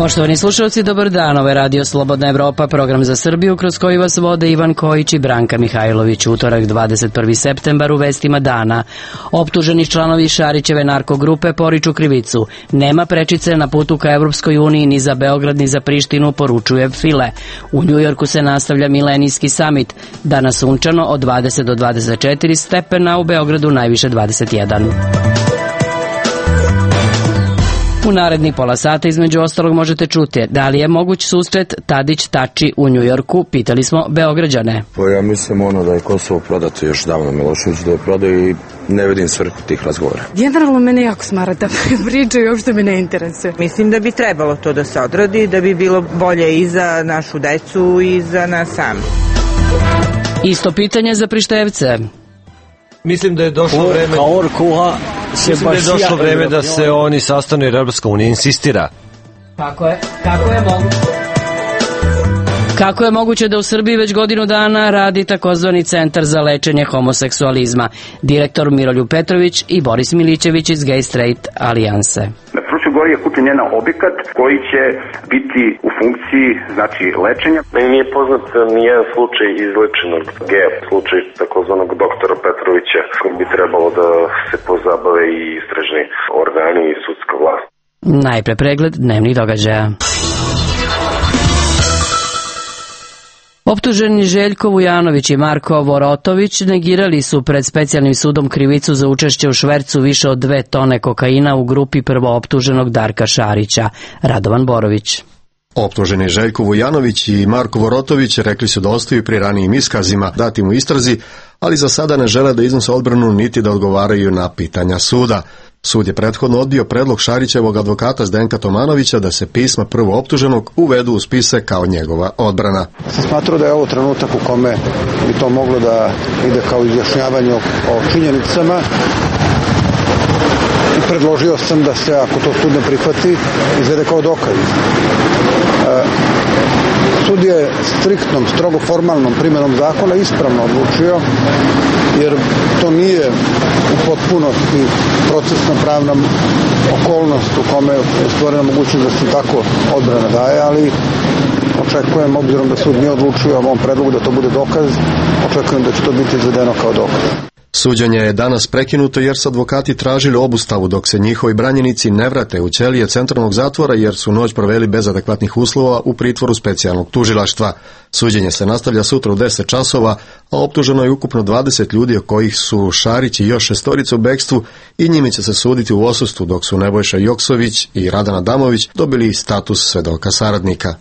Poštovani slušalci, dobar dan. Ovo je Radio Slobodna Evropa, program za Srbiju kroz koji vas vode Ivan Kojić i Branka Mihajlović. Utorak 21. septembar u vestima dana. Optuženi članovi Šarićeve narkogrupe poriču krivicu. Nema prečice na putu ka Evropskoj uniji ni za Beograd ni za Prištinu, poručuje File. U Njujorku se nastavlja milenijski samit. Danas sunčano od 20 do 24 stepena, u Beogradu najviše 21. U narednih pola sata između ostalog možete čuti da li je moguć susret Tadić-Tači u Njujorku, pitali smo Beograđane. Ja mislim da je Kosovo prodato još davno, Milošević da je prodao i ne vidim svrhu tih razgovora. Generalno mene jako smara ta priča i uopšte me ne interesuje. Mislim da bi trebalo to da se odradi, da bi bilo bolje i za našu decu i za nas sami. Isto pitanje za Prištevce. Mislim da je došlo vreme da se oni sastanu jer Evropska unija insistira. Kako je moguće da u Srbiji već godinu dana radi takozvani centar za lečenje homoseksualizma? Direktor Miroljub Petrović i Boris Milićević iz Gay Straight alijanse. Na Fruškoj Gori je kupljen jedan objekat koji će biti u funkciji lečenja. Meni nije poznat nijedan slučaj izlečenog geja, slučaj takozvanog doktora Petrovića, kojim bi trebalo da se pozabave i istražni organi i sudska vlast. Najpre pregled dnevnih događaja. Optuženi Željko Vujanović i Marko Vorotović negirali su pred specijalnim sudom krivicu za učešće u švercu više od 2 tone kokaina u grupi prvooptuženog Darka Šarića. Radovan Borović. Optuženi Željko Vujanović i Marko Vorotović rekli su da ostaju pri ranijim iskazima datim u istrazi, ali za sada ne žele da iznose odbranu niti da odgovaraju na pitanja suda. Sud je prethodno odbio predlog Šarićevog advokata Zdenka Tomanovića da se pisma prvooptuženog uvedu u spise kao njegova odbrana. Sam smatrao da je ovo trenutak u kome bi to moglo da ide kao izjašnjavanje o činjenicama i predložio sam da se, ako to sud ne prihvati, izvede kao dokaz. Sud je striktnom, strogo formalnom primjenom zakona ispravno odlučio, jer to nije u potpunosti procesna pravna okolnost u kome je stvorena mogućnost da se tako odbrana daje, ali očekujem, obzirom da sud nije odlučio o ovom predlogu da to bude dokaz, očekujem da će to biti izvedeno kao dokaz. Suđenje je danas prekinuto jer su advokati tražili obustavu dok se njihovi branjenici ne vrate u ćelije centralnog zatvora jer su noć proveli bez adekvatnih uslova u pritvoru specijalnog tužilaštva. Suđenje se nastavlja sutra u 10 časova, a optuženo je ukupno 20 ljudi od kojih su Šarić i još 6 u bekstvu i njime će se suditi u odsustvu dok su Nebojša Joksović i Radan Adamović dobili status svedoka saradnika.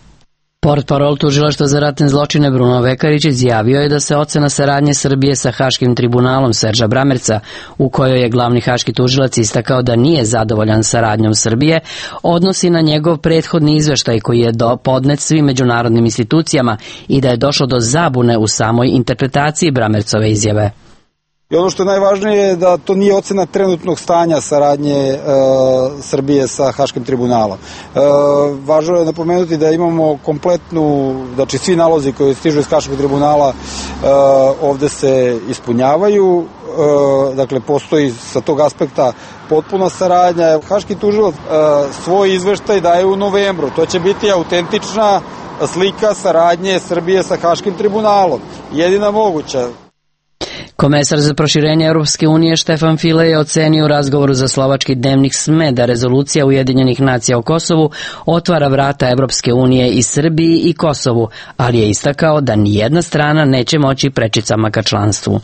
Portparol Tužilaštva za ratne zločine Bruno Vekarić izjavio je da se ocena saradnje Srbije sa Haškim tribunalom Serža Bramerca, u kojoj je glavni haški tužilac istakao da nije zadovoljan saradnjom Srbije, odnosi na njegov prethodni izveštaj koji je podnet svim međunarodnim institucijama i da je došlo do zabune u samoj interpretaciji Bramercove izjave. I ono što je najvažnije je da to nije ocena trenutnog stanja saradnje Srbije sa Haškim tribunalom. Važno je napomenuti da imamo kompletnu, znači svi nalozi koji stižu iz Haškog tribunala ovde se ispunjavaju, dakle postoji sa tog aspekta potpuna saradnja. Haški tužilac svoj izveštaj daje u novembru, to će biti autentična slika saradnje Srbije sa Haškim tribunalom, jedina moguća. Komesar za proširenje Europske unije Štefan File je ocenio u razgovoru za slovački dnevnik SME da rezolucija Ujedinjenih nacija o Kosovu otvara vrata Europske unije i Srbiji i Kosovu, ali je istakao da nijedna strana neće moći prečicama ka članstvu.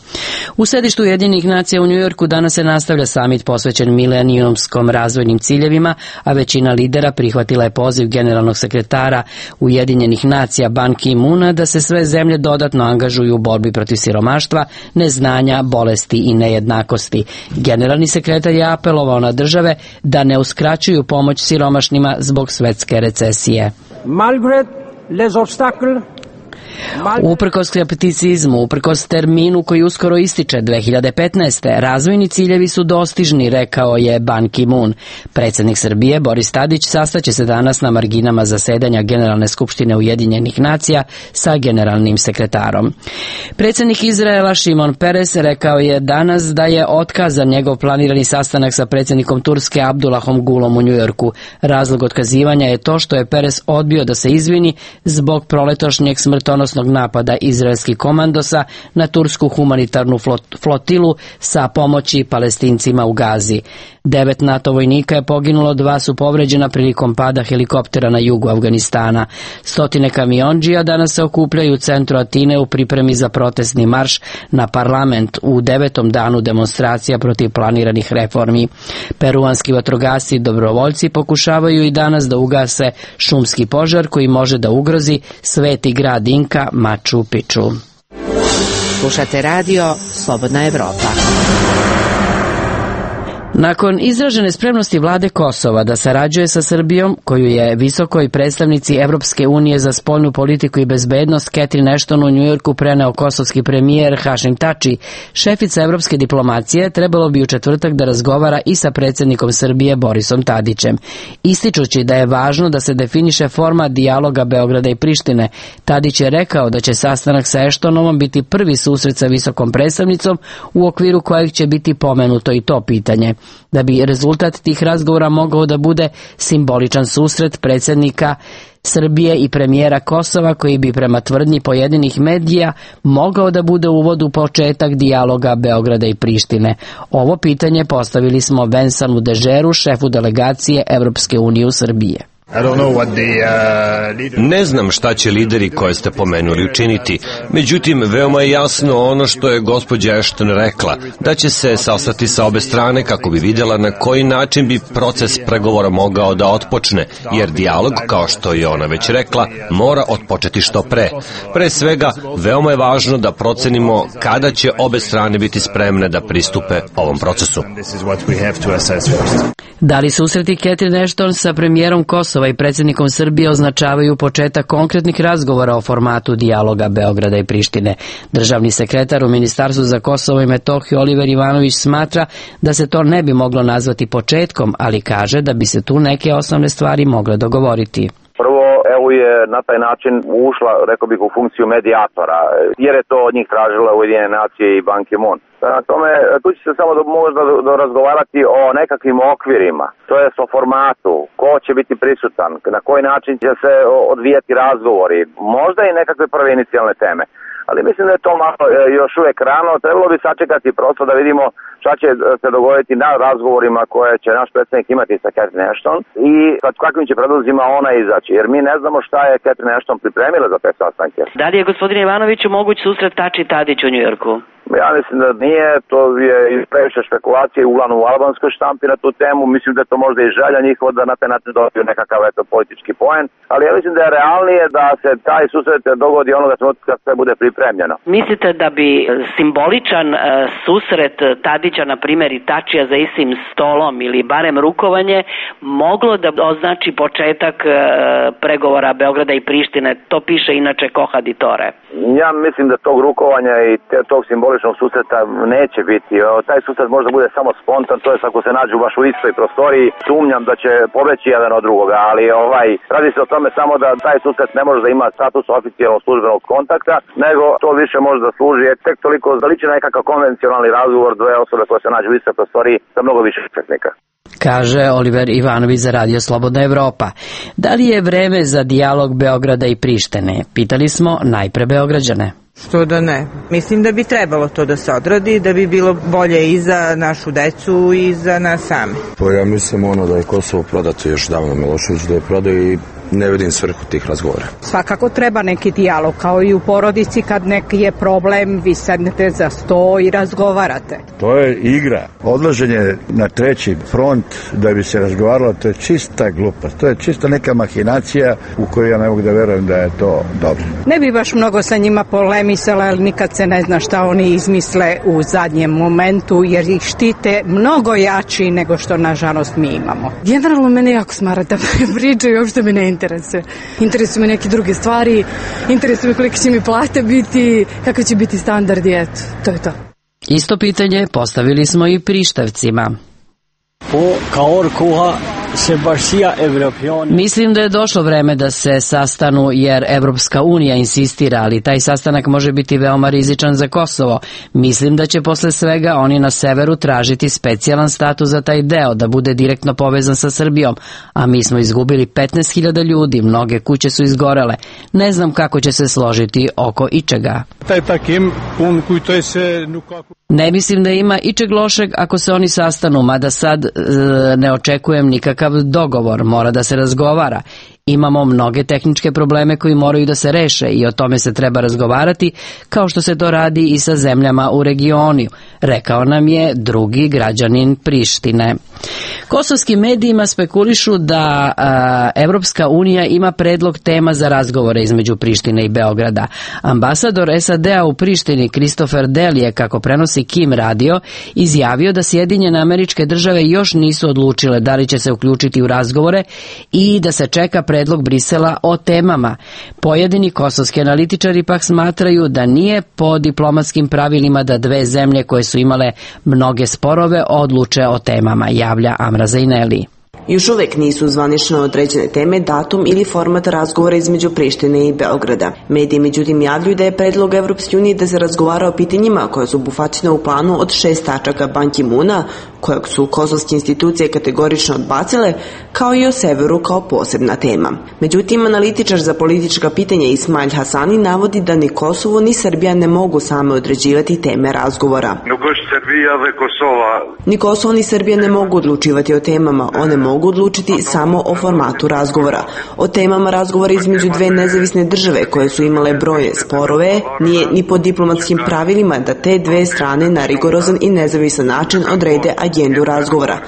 U sedištu Ujedinjenih nacija u Njujorku danas se nastavlja samit posvećen milenijumskom razvojnim ciljevima, a većina lidera prihvatila je poziv generalnog sekretara Ujedinjenih nacija Ban Ki-moona da se sve zemlje dodatno angažuju u borbi protiv siromaštva, neznanja, bolesti i nejednakosti. Generalni sekretar je apelovao na države da ne uskraćuju pomoć siromašnima zbog svetske recesije. Uprkos skepticizmu, uprkos terminu koji uskoro ističe 2015. razvojni ciljevi su dostižni, rekao je Ban Ki-moon. Predsjednik Srbije Boris Tadić sastaće se danas na marginama zasedanja Generalne skupštine Ujedinjenih nacija sa generalnim sekretarom. Predsjednik Izraela Šimon Peres rekao je danas da je otkazan njegov planirani sastanak sa predsjednikom Turske Abdullahom Gulom u Njujorku. Razlog otkazivanja je to što je Peres odbio da se izvini zbog proletošnjeg smrtonosnog napada izraelskih komandosa na tursku humanitarnu flotilu sa pomoći Palestincima u Gazi. 9 NATO vojnika je poginulo, 2 su povređena prilikom pada helikoptera na jugu Afganistana. Stotine kamiondžija danas se okupljaju u centru Atine u pripremi za protestni marš na parlament u 9. danu demonstracija protiv planiranih reformi. Peruanski vatrogasci i dobrovoljci pokušavaju i danas da ugase šumski požar koji može da ugrozi sveti grad Inka Machu Picchu. Slušate radio Slobodna Evropa. Nakon izražene spremnosti vlade Kosova da sarađuje sa Srbijom, koju je visokoj predstavnici Evropske unije za spoljnu politiku i bezbednost Catherine Ashton u Njujorku preneo kosovski premijer Hašim Tači, šefica evropske diplomacije trebalo bi u četvrtak da razgovara i sa predsjednikom Srbije Borisom Tadićem. Ističući da je važno da se definiše forma dijaloga Beograda i Prištine, Tadić je rekao da će sastanak sa Ashtonovom biti prvi susret sa visokom predstavnicom u okviru kojeg će biti pomenuto i to pitanje. Da bi rezultat tih razgovora mogao da bude simboličan susret predsjednika Srbije i premijera Kosova, koji bi prema tvrdnji pojedinih medija mogao da bude uvod u početak dijaloga Beograda i Prištine. Ovo pitanje postavili smo Vensanu Dežeru, šefu delegacije Evropske unije u Srbije. Ne znam šta će lideri koje ste pomenuli učiniti, međutim veoma je jasno ono što je gospođa Ashton rekla, da će se sastati sa obe strane kako bi vidjela na koji način bi proces pregovora mogao da otpočne, jer dijalog, kao što je ona već rekla, mora otpočeti što pre. Pre svega, veoma je važno da procenimo kada će obe strane biti spremne da pristupe ovom procesu. Da li susreti Catherine Ashton sa premijerom Kosova i predsjednikom Srbije označavaju početak konkretnih razgovora o formatu dijaloga Beograda i Prištine? Državni sekretar u Ministarstvu za Kosovo i Metohiju Oliver Ivanović smatra da se to ne bi moglo nazvati početkom, ali kaže da bi se tu neke osnovne stvari mogle dogovoriti. Prvo, EU je na taj način ušla, rekao bih, u funkciju medijatora, jer je to od njih tražila Ujedinjene nacije i Ban Ki-moon. Na tome, tu će se samo možda razgovarati o nekakvim okvirima, to je o formatu, ko će biti prisutan, na koji način će se odvijati razgovori, možda i nekakve prve inicijalne teme. Ali mislim da je to malo još uvijek rano, trebalo bi sačekati prosto da vidimo šta će se dogoditi na razgovorima koje će naš predsjednik imati sa Catherine Ashton i sa kakvim će predlozima ona izaći, jer mi ne znamo šta je Catherine Ashton pripremila za te sastanke. Da li je, gospodine Ivanoviću, moguć susret Tači Tadić u Njujorku? Ja mislim da nije, to je previše špekulacije uglavnom u albanskoj štampi na tu temu, mislim da je to možda i želja njihova da na taj način dobiju nekakav politički poen, ali ja mislim da je realnije da se taj susret dogodi onoga trenutka kad sve bude pripremljeno. Mislite da bi simboličan susret Tadića, na primjer, i Tačija za istim stolom ili barem rukovanje moglo da označi početak pregovora Beograda i Prištine? To piše inače Kohaditore. Ja mislim da tog rukovanja i tog simboličnog susreta neće biti. Taj susret možda bude samo spontan, to je ako se nađu baš u istoj prostoriji, sumnjam da će pobeći jedan od drugoga, ali radi se o tome samo da taj susret ne može da ima status oficijalnog službenog kontakta, nego to više može da služi tek toliko da liči na nekakav konvencionalni razgovor dve osobe koje se nađu u istoj prostoriji sa mnogo više učesnika. Kaže Oliver Ivanović za Radio Slobodna Evropa. Da li je vreme za dijalog Beograda i Prištine? Pitali smo najpre Beograđane. Što da ne? Mislim da bi trebalo to da se odradi, da bi bilo bolje i za našu decu i za nas same. Pa ja mislim da je Kosovo prodato još davno Milošević da je prodao i ne vidim svrhu tih razgovora. Svakako treba neki dijalog, kao i u porodici kad neki je problem, vi sednete za sto i razgovarate. To je igra. Odlaženje na treći front da bi se razgovaralo, to je čista glupost. To je čista neka mahinacija u kojoj ja ne mogu da verujem da je to dobro. Ne bi baš mnogo sa njima polemisala, ali nikad se ne zna šta oni izmisle u zadnjem momentu, jer ih štite mnogo jači nego što nažalost mi imamo. Generalno mene jako smara da pričaju, uopšte me ne interesuje. Interesuju me neke druge stvari, interesuju me kolike će mi plate biti, kakvi će biti standardi, eto, to je to. Isto pitanje postavili smo i Prištavcima. Mislim da je došlo vreme da se sastanu jer Evropska unija insistira, ali taj sastanak može biti veoma rizičan za Kosovo. Mislim da će posle svega oni na severu tražiti specijalan status za taj deo, da bude direktno povezan sa Srbijom, a mi smo izgubili 15.000 ljudi, mnoge kuće su izgorele. Ne znam kako će se složiti oko ičega. Ne mislim da ima ičeg lošeg ako se oni sastanu, mada sad ne očekujem nikakav dogovor, mora da se razgovara. Imamo mnoge tehničke probleme koji moraju da se reše i o tome se treba razgovarati, kao što se to radi i sa zemljama u regionu, rekao nam je drugi građanin Prištine. Kosovskim medijima spekulišu da Evropska unija ima predlog tema za razgovore između Prištine i Beograda. Ambasador SAD-a u Prištini Christopher Dell je, kako prenosi Kim radio, izjavio da Sjedinjene Američke Države još nisu odlučile da li će se uključiti u razgovore i da se čeka predlog Brisela o temama. Pojedini kosovski analitičari pak smatraju da nije po diplomatskim pravilima da dve zemlje koje su imale mnoge sporove odluče o temama, javlja Amra Zaineli. Još uvek nisu zvanično određene teme, datum ili format razgovora između Prištine i Beograda. Mediji međutim javljaju da je predlog Evropske unije da se razgovara o pitanjima koja su obuhvaćena u planu od 6 tačaka Ban Ki-moona, kojeg su kosovske institucije kategorično odbacile, kao i o severu kao posebna tema. Međutim, analitičar za politička pitanja Ismail Hasani navodi da ni Kosovo ni Srbija ne mogu same određivati teme razgovora. Ni Kosovo ni Srbija ne mogu odlučivati o temama, one mogu odlučiti samo o formatu razgovora. O temama razgovora između dve nezavisne države koje su imale brojne sporove, nije ni po diplomatskim pravilima da te dve strane na rigorozan i nezavisan način odrede agendu razgovora.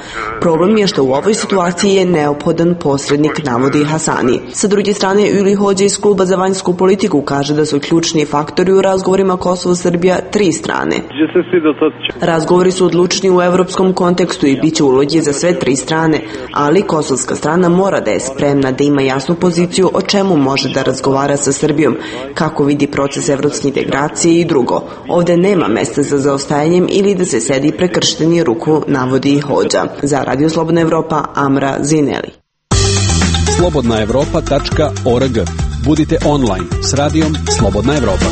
Problem je što u ovoj situaciji je neophodan posrednik, navodi Hasani. Sa druge strane, Uli Hođa iz Kluba za vanjsku politiku kaže da su ključni faktori u razgovorima Kosovo-Srbija 3 strane. Razgovori su odlučni u evropskom kontekstu i bit će uloge za sve 3 strane, ali kosovska strana mora da je spremna da ima jasnu poziciju o čemu može da razgovara sa Srbijom, kako vidi proces evropske integracije i drugo. Ovde nema mesta za zaostajanjem ili da se sedi prekršteni ruku, navodi Hođa. Za Radio Slobodna Evropa, Amra Zineli. slobodnaevropa.org. Budite online s radijom Slobodna Evropa.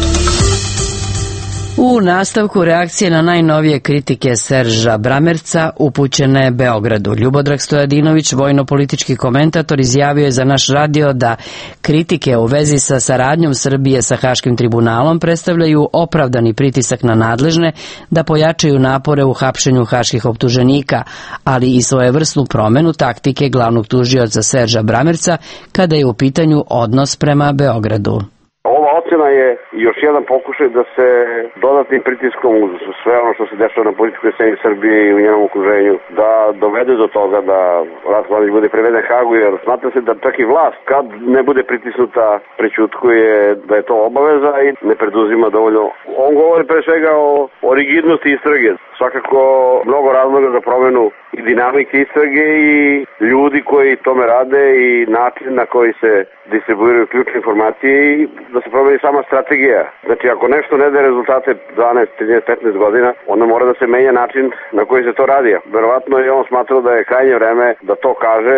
U nastavku reakcije na najnovije kritike Serža Bramerca upućene Beogradu. Ljubodrag Stojadinović, vojno-politički komentator, izjavio je za naš radio da kritike u vezi sa saradnjom Srbije sa Haškim tribunalom predstavljaju opravdani pritisak na nadležne da pojačaju napore u hapšenju haških optuženika, ali i svojevrsnu promenu taktike glavnog tužioca Serža Bramerca kada je u pitanju odnos prema Beogradu. Ova ocena je još jedan pokušaj da se dodatnim pritiskom uz sve ono što se dešava na političkoj sceni Srbije i u njenom okruženju da dovede do toga da Ratko Mladić bude priveden Hagu, jer smatra se da čak i vlast kad ne bude pritisnuta prećutkuje da je to obaveza i ne preduzima dovoljno. On govori pre svega o rigidnosti istrage. Svakako mnogo razloga za promenu i dinamike istrage i ljudi koji tome rade i način na koji se distribuiraju ključne informacije i da se promeni sama strategija. Znači ako nešto ne daje rezultate 12, 13, 15 godina, onda mora da se menja način na koji se to radi. Verovatno je on smatrao da je krajnje vreme da to kaže.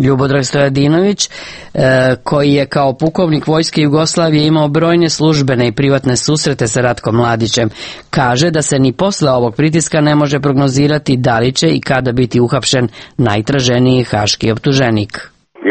Ljubodrag Stojadinović, koji je kao pukovnik Vojske Jugoslavije imao brojne službene i privatne susrete sa Ratkom Mladićem, kaže da se ni posle ovog pritiska ne može prognozirati da li će i kada biti uhapšen najtraženiji haški optuženik.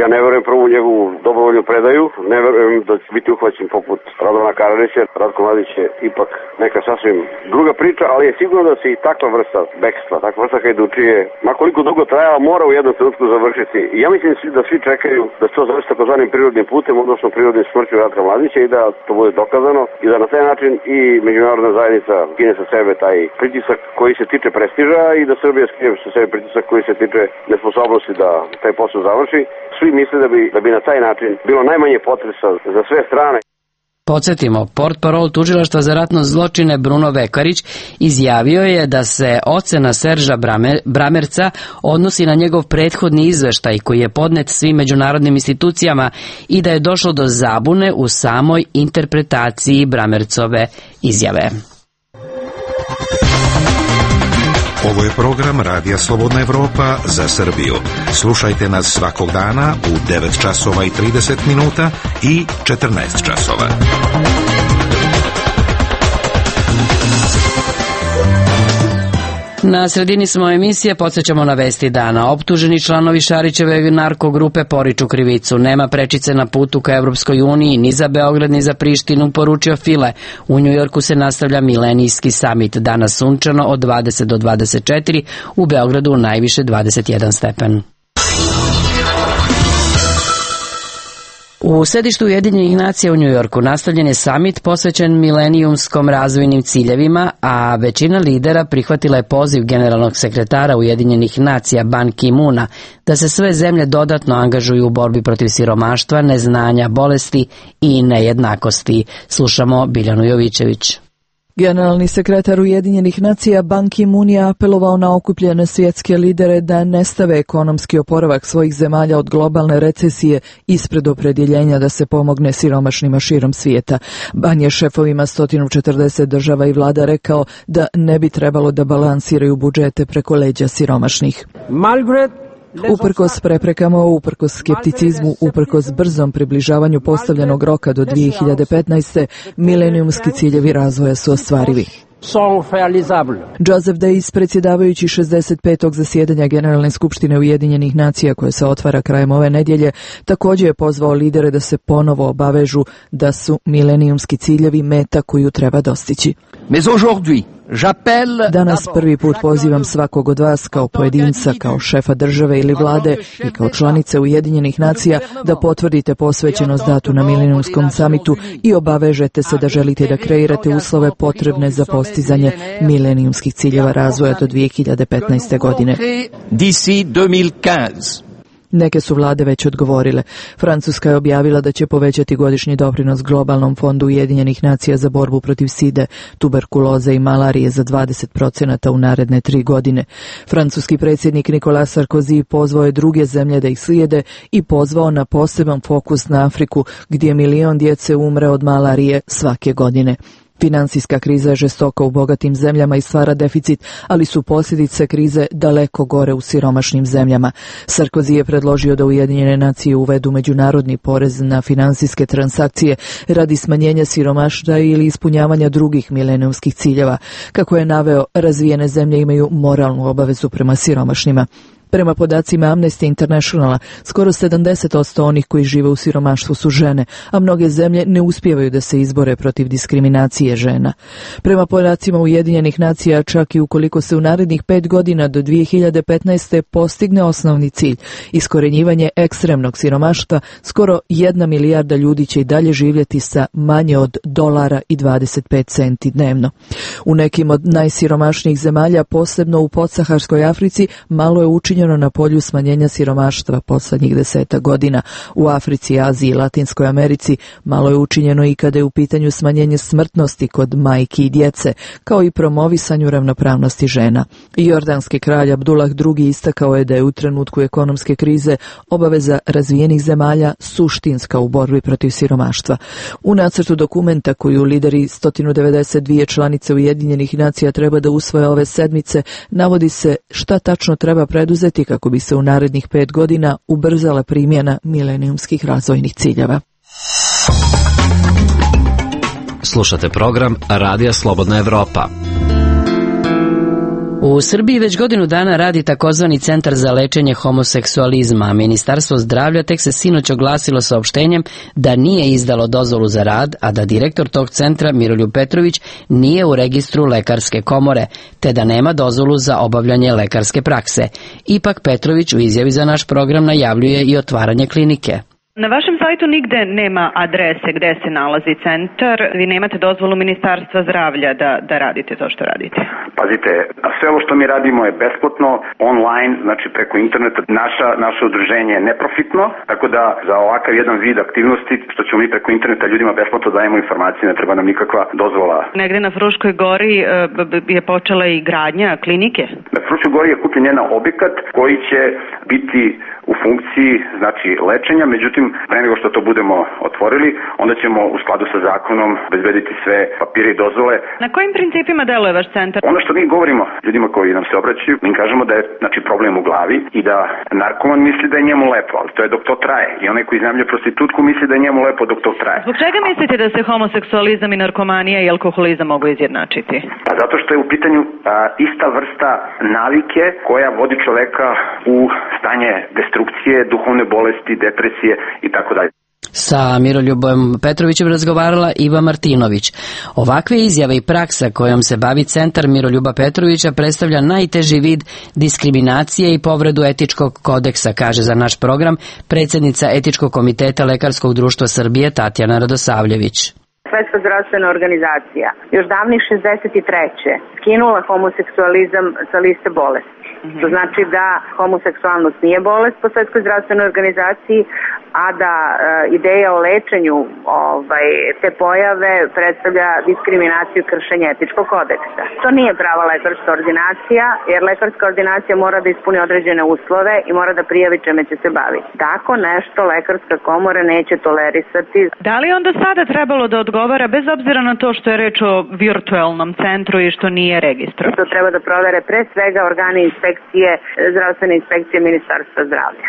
Ja ne verujem prvo u njegovu dobrovoljnu predaju, ne verujem da će biti uhvaćen poput Radovana Karadžića. Ratko Mladić je ipak neka sasvim druga priča, ali je sigurno da se i takva vrsta bekstva, takva vrsta hajdučije, makoliko dugo trajala, mora u jednom trenutku završiti. I ja mislim da svi čekaju da se to završi takozvanim prirodnim putem, odnosno prirodnim smrću Ratka Mladića i da to bude dokazano i da na taj način i međunarodna zajednica skine sa sebe taj pritisak koji se tiče prestiža i da Srbija skine sa sebe pritisak koji se tiče nesposobnosti da taj posao završi. Svi misle da bi na taj način bilo najmanje potresa za sve strane. Podsjetimo, portparol tužilaštva za ratno zločine Bruno Vekarić izjavio je da se ocena Serža Bramerca odnosi na njegov prethodni izveštaj koji je podnet svim međunarodnim institucijama i da je došlo do zabune u samoj interpretaciji Bramercove izjave. Ovo je program Radija Slobodna Evropa za Srbiju. Slušajte nas svakog dana u 9 časova i 30 minuta i 14 časova. Na sredini smo emisije, podsjećamo na vesti dana. Optuženi članovi Šarićeve narkogrupe poriču krivicu. Nema prečice na putu ka Evropskoj uniji, ni za Beograd, ni za Prištinu, poručio File. U Njujorku se nastavlja milenijski samit. Danas sunčano od 20 do 24, u Beogradu najviše 21 stepen. U sedištu Ujedinjenih nacija u Njujorku nastavljen je samit posvećen milenijumskom razvojnim ciljevima, a većina lidera prihvatila je poziv generalnog sekretara Ujedinjenih nacija Ban Ki-moona da se sve zemlje dodatno angažuju u borbi protiv siromaštva, neznanja, bolesti i nejednakosti. Slušamo Biljanu Jovićević. Generalni sekretar Ujedinjenih nacija Ban Ki-moon je apelovao na okupljene svjetske lidere da ne stave ekonomski oporavak svojih zemalja od globalne recesije ispred opredjeljenja da se pomogne siromašnima širom svijeta. Ban je šefovima 140 država i vlada rekao da ne bi trebalo da balansiraju budžete preko leđa siromašnih. Uprkos preprekama, uprkos skepticizmu, uprkos brzom približavanju postavljenog roka do 2015. milenijumski ciljevi razvoja su ostvarivi. Joseph Days, predsjedavajući 65. zasjedanja Generalne skupštine Ujedinjenih nacija koje se otvara krajem ove nedjelje, također je pozvao lidere da se ponovo obavežu da su milenijumski ciljevi meta koju treba dostići. Danas prvi put pozivam svakog od vas kao pojedinca, kao šefa države ili vlade i kao članice Ujedinjenih nacija da potvrdite posvećenost datu na milenijumskom samitu i obavežete se da želite da kreirate uslove potrebne za postizanje milenijumskih ciljeva razvoja do 2015. godine. Neke su vlade već odgovorile. Francuska je objavila da će povećati godišnji doprinos globalnom fondu Ujedinjenih nacija za borbu protiv side, tuberkuloze i malarije za 20% u naredne 3 godine. Francuski predsjednik Nicolas Sarkozy pozvao je druge zemlje da ih slijede i pozvao na poseban fokus na Afriku, gdje 1 milion djece umre od malarije svake godine. Finansijska kriza je žestoka u bogatim zemljama i stvara deficit, ali su posljedice krize daleko gore u siromašnim zemljama. Sarkozy je predložio da Ujedinjene nacije uvedu međunarodni porez na finansijske transakcije radi smanjenja siromaštva ili ispunjavanja drugih milenijumskih ciljeva. Kako je naveo, razvijene zemlje imaju moralnu obavezu prema siromašnima. Prema podacima Amnesty Internationala, skoro 70% onih koji žive u siromaštvu su žene, a mnoge zemlje ne uspijevaju da se izbore protiv diskriminacije žena. Prema podacima Ujedinjenih nacija, čak i ukoliko se u narednih 5 godina do 2015. postigne osnovni cilj, iskorenjivanje ekstremnog siromaštva, skoro 1 milijarda ljudi će i dalje živjeti sa manje od $1.25 dnevno. U nekim od najsiromašnijih zemalja, posebno u podsaharskoj Africi, malo je učinjeno na polju smanjenja siromaštva posljednjih 10 godina. U Africi, Aziji i Latinskoj Americi malo je učinjeno i kada je u pitanju smanjenje smrtnosti kod majki i djece, kao i promovisanju ravnopravnosti žena. Jordanski kralj Abdullah II istakao je da je u trenutku ekonomske krize obaveza razvijenih zemalja suštinska u borbi protiv siromaštva. U nacrtu dokumenta koju lideri 192 članice Ujedinjenih nacija treba da usvoje ove sedmice, navodi se šta tačno treba preduzeti kako bi se u narednih 5 godina ubrzala primjena milenijumskih razvojnih ciljeva. Slušate program Radija Slobodna Evropa. U Srbiji već godinu dana radi takozvani Centar za lečenje homoseksualizma, a Ministarstvo zdravlja tek se sinoć oglasilo saopštenjem da nije izdalo dozvolu za rad, a da direktor tog centra Miroljub Petrović nije u registru lekarske komore, te da nema dozvolu za obavljanje lekarske prakse. Ipak Petrović u izjavi za naš program najavljuje i otvaranje klinike. Na vašem sajtu nigde nema adrese gde se nalazi centar. Vi nemate dozvolu Ministarstva zdravlja da radite to što radite. Pazite, sve ovo što mi radimo je besplatno, online, znači preko interneta. Naše udruženje je neprofitno, tako da za ovakav jedan vid aktivnosti, što ćemo mi preko interneta ljudima besplatno dajemo informacije, ne treba nam nikakva dozvola. Negde na Fruškoj gori je počela i gradnja klinike? Na Fruškoj gori je kupljen jedan objekat koji će biti u funkciji, znači, lečenja, međutim, pre nego što to budemo otvorili, onda ćemo u skladu sa zakonom bezbediti sve papire i dozvole. Na kojim principima deluje vaš centar? Ono što mi govorimo ljudima koji nam se obraćaju, mi kažemo da je, znači, problem u glavi i da narkoman misli da je njemu lepo, ali to je dok to traje. I onaj koji iznajmljuje prostitutku misli da je njemu lepo dok to traje. Zbog čega mislite da se homoseksualizam i narkomanija i alkoholizam mogu izjednačiti? Pa zato što je u pitanju ista vrsta navike koja vodi čoveka u stanje destrukcije, duhovne bolesti, depresije i tako dalje. Sa Miroljubom Petrovićem razgovarala Iva Martinović. Ovakve izjave i praksa kojom se bavi centar Miroljuba Petrovića predstavlja najteži vid diskriminacije i povredu etičkog kodeksa, kaže za naš program predsjednica Etičkog komiteta Lekarskog društva Srbije Tatjana Radosavljević. Svetska zdravstvena organizacija još davnih 63. skinula homoseksualizam sa liste bolesti. To znači da homoseksualnost nije bolest po Svetskoj zdravstvenoj organizaciji, a da ideja o lečenju te pojave predstavlja diskriminaciju i kršenje etičkog kodeksa. To nije prava lekarska ordinacija, jer lekarska ordinacija mora da ispuni određene uslove i mora da prijavi čime će se baviti. Tako nešto lekarska komora neće tolerisati. Da li onda sada trebalo da odgovara, bez obzira na to što je reč o virtualnom centru i što nije registrovan? To treba da provere pre svega organi inspekcije, zdravstvene inspekcije Ministarstva zdravlja.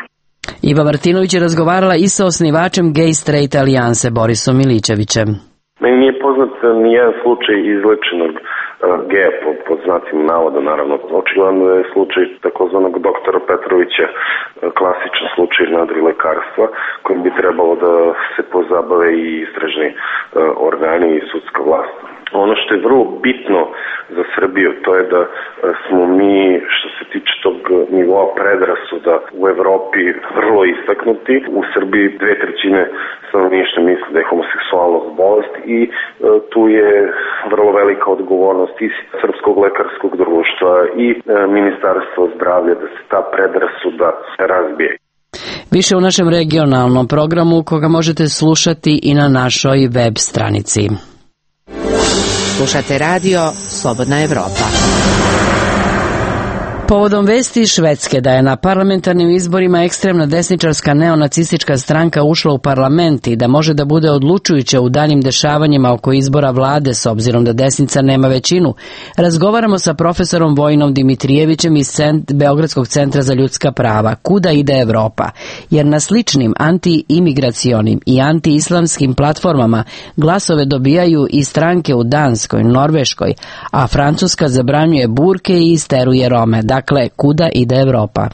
Iva Martinović je razgovarala i sa osnivačem Gay Straight Alijanse Borisom Milićevićem. Meni nije poznat nijedan slučaj izlečenog geja pod znacima navoda, naravno. Očigledno je slučaj takozvanog doktora Petrovića klasičan slučaj nadrilekarstva kojim bi trebalo da se pozabave i istražni organi i sudska vlast. Ono što je vrlo bitno za Srbiju, to je da smo mi, što se tiče tog nivoa predrasuda u Evropi, vrlo istaknuti. U Srbiji 2/3 stanovništva misle da je homoseksualnost bolest i tu je vrlo velika odgovornost i Srpskog lekarskog društva i Ministarstva zdravlja da se ta predrasuda razbije. Više u našem regionalnom programu koga možete slušati i na našoj web stranici. Slušate radio Slobodna Evropa. Povodom vesti iz Švedske da je na parlamentarnim izborima ekstremna desničarska neonacistička stranka ušla u parlament i da može da bude odlučujuća u daljim dešavanjima oko izbora vlade s obzirom da desnica nema većinu, razgovaramo sa profesorom Vojinom Dimitrijevićem iz Beogradskog centra za ljudska prava. Kuda ide Evropa? Jer na sličnim anti-imigracionim i anti-islamskim platformama glasove dobijaju i stranke u Danskoj, Norveškoj, a Francuska zabranjuje burke i isteruje Rome. Dakle, kuda ide Evropa?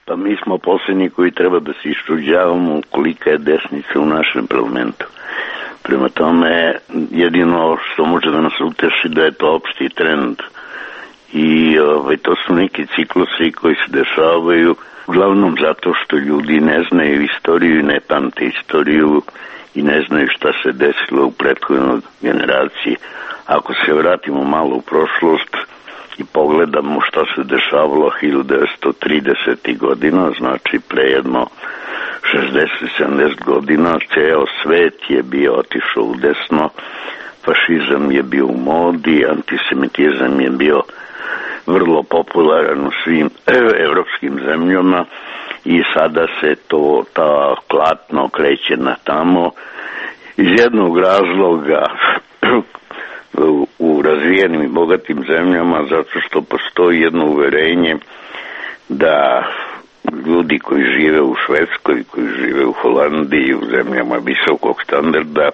Pa mi smo posljednji koji treba da se iščuđavamo kolika je desnica u našem parlamentu. Prema tome, jedino što može da nas uteši da je to opšti trend. I to su neki ciklusi koji se dešavaju, uglavnom zato što ljudi ne znaju istoriju i ne pamte istoriju i ne znaju šta se desilo u prethodnoj generaciji. Ako se vratimo malo u prošlost i pogledamo što se dešavalo 1930. godina, znači pre jedno 60-70 godina, ceo svet je bio otišao u desno, fašizam je bio u modi, antisemitizam je bio vrlo popularan u svim evropskim zemljama i sada se ta klatno kreće na tamo iz jednog razloga u razvijenim i bogatim zemljama, zato što postoji jedno uverenje da ljudi koji žive u Švedskoj, koji žive u Holandiji, u zemljama visokog standarda,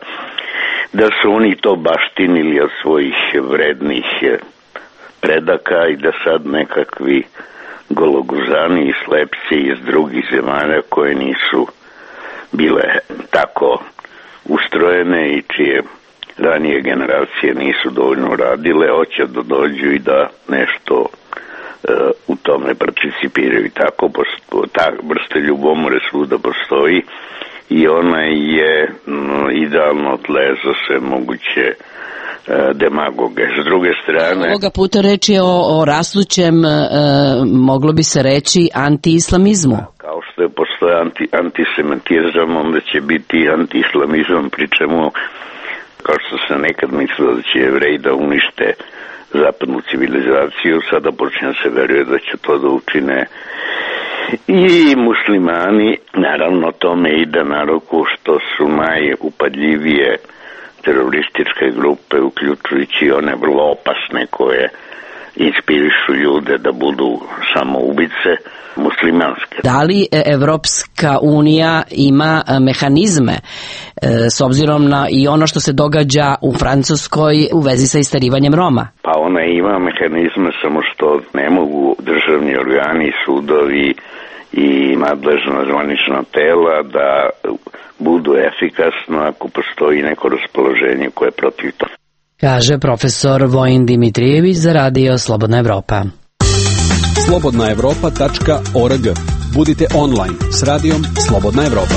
da su oni to baštinili od svojih vrednih predaka i da sad nekakvi gologuzani i slepci iz drugih zemalja koje nisu bile tako ustrojene i čije ranije generacije nisu dovoljno radile, hoće da dođu i da nešto u tome participiraju. I tako ta vrsta ljubomore svuda postoji i ona je idealno tle za sve moguće demagoge. S druge strane... Ovoga puta reč je o rastućem, moglo bi se reći, anti-islamizmu. Kao što je postoje antisemitizam, onda će biti anti-islamizam, pri čemu, kao što se nekad mislilo da će Jevreji da unište zapadnu civilizaciju, sada počne se veruje da će to da učine i muslimani. Naravno, tome ide na ruku što su najupadljivije terorističke grupe, uključujući one vrlo opasne koje inspirišu ljude da budu samoubice, muslimanske. Da li Evropska unija ima mehanizme s obzirom na i ono što se događa u Francuskoj u vezi sa isterivanjem Roma? Pa ona ima mehanizme, samo što ne mogu državni organi, sudovi i nadležna zvanična tela da budu efikasno ako postoji neko raspoloženje koje je protiv toga. Kaže profesor Vojin Dimitrijević za Radio Slobodna Evropa. slobodnaevropa.org. Budite online s radijom Slobodna Evropa.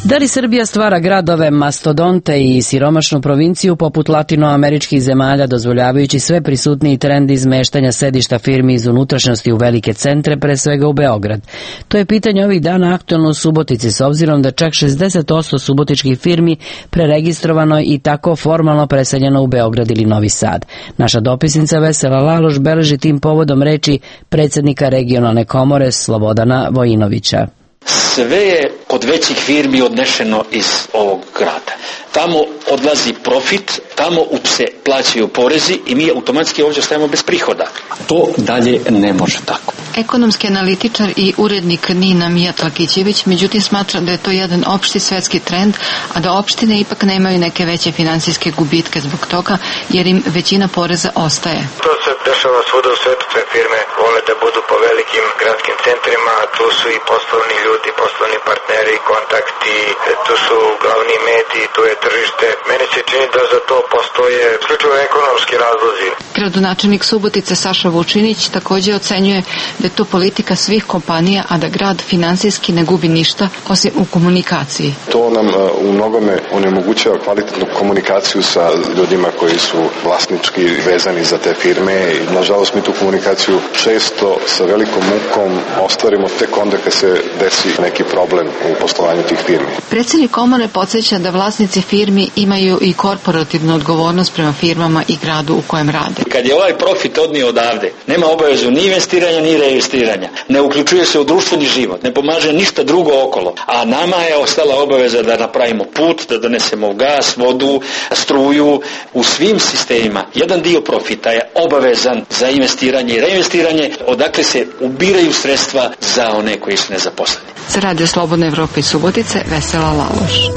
Da li Srbija stvara gradove, mastodonte i siromašnu provinciju poput latinoameričkih zemalja, dozvoljavajući sve prisutniji trend izmeštanja sedišta firmi iz unutrašnjosti u velike centre, pre svega u Beograd? To je pitanje ovih dana aktuelno u Subotici, s obzirom da čak 60% subotičkih firmi preregistrovano i tako formalno preseljeno u Beograd ili Novi Sad. Naša dopisnica Vesela Laloš beleži tim povodom reči predsjednika regionalne komore Slobodana Vojinovića. Sve je kod većih firmi odnešeno iz ovog grada. Tamo odlazi profit, tamo se plaćaju porezi i mi automatski ovdje ostajemo bez prihoda. To dalje ne može tako. Ekonomski analitičar i urednik Nina Mijat-Lakićević, međutim smatra da je to jedan opšti svetski trend, a da opštine ipak nemaju neke veće finansijske gubitke zbog toga, jer im većina poreza ostaje. To se dešava svuda u svetu, sve firme vole da budu po velikim gradskim centrima, tu su i poslovni ljudi, poslovni partneri, kontakti, tu su glavni mediji, tu je tržište. Meni se čini da za to postoje isključivo ekonomski razlozi. Gradonačelnik Subotice Saša Vučinić također ocenjuje da je to politika svih kompanija, a da grad finansijski ne gubi ništa osim u komunikaciji. To nam u mnogome onemogućava kvalitetnu komunikaciju sa ljudima koji su vlasnički vezani za te firme i nažalost mi tu komunikaciju često sa velikom mukom ostvarimo tek onda kad se desi neki problem u poslovanju tih firmi. Predsjednik komore podsjeća da vlasnici firmi imaju i korporativnu odgovornost prema firmama i gradu u kojem rade. Kad je ovaj profit odnio odavde, nema obavezu ni investiranja ni reinvestiranja, ne uključuje se u društveni život, ne pomaže ništa drugo okolo, a nama je ostala obaveza da napravimo put, da donesemo gas, vodu, struju, u svim sistemima. Jedan dio profita je obavezan za investiranje i reinvestiranje, odakle se ubiraju sredstva za one koji su nezaposleni. Za Radio Slobodna Evropa iz Subotice, Vesela Laloš.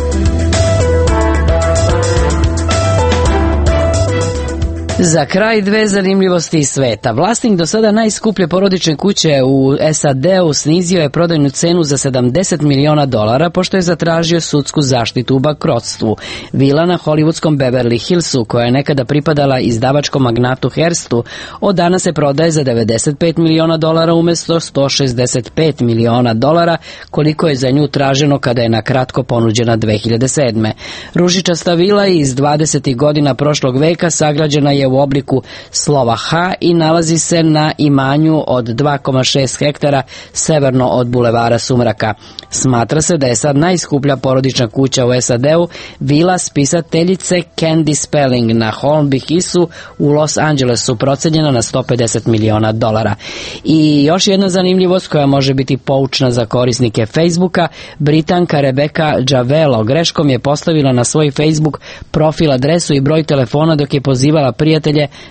Za kraj dve zanimljivosti iz sveta. Vlasnik do sada najskuplje porodične kuće u SAD-u snizio je prodajnu cenu za $70 miliona pošto je zatražio sudsku zaštitu u bankrotstvu. Vila na hollywoodskom Beverly Hillsu, koja je nekada pripadala izdavačkom magnatu Hearstu, od danas se prodaje za $95 miliona umjesto $165 miliona, koliko je za nju traženo kada je na kratko ponuđena 2007. Ružičasta vila iz 20. godina prošlog veka sagrađena je u obliku slova H i nalazi se na imanju od 2,6 hektara severno od bulevara Sumraka. Smatra se da je sad najskuplja porodična kuća u SAD-u vila spisateljice Candy Spelling na Holmby Hillu u Los Angelesu, procenjena na $150 miliona. I još jedna zanimljivost koja može biti poučna za korisnike Facebooka, Britanka Rebecca Javello greškom je postavila na svoj Facebook profil adresu i broj telefona dok je pozivala prijatelje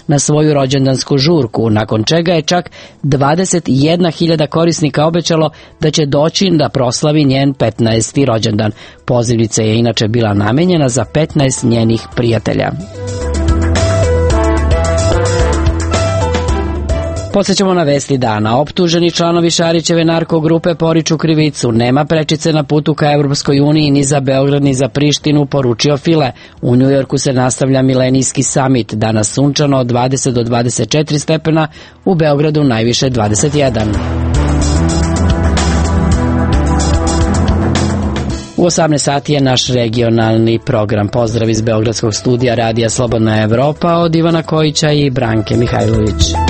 na svoju rođendansku žurku, nakon čega je čak 21.000 korisnika obećalo da će doći da proslavi njen 15. rođendan. Pozivnica je inače bila namenjena za 15 njenih prijatelja. Podsjećamo na vesti dana. Optuženi članovi Šarićeve narkogrupe poriču krivicu. Nema prečice na putu ka Evropskoj uniji ni za Beograd ni za Prištinu, poručio File. U Njujorku se nastavlja milenijski samit. Danas sunčano od 20 do 24 stepena, u Beogradu najviše 21. U 18 sati je naš regionalni program. Pozdrav iz Beogradskog studija Radija Slobodna Evropa od Ivana Kojića i Branke Mihajlović.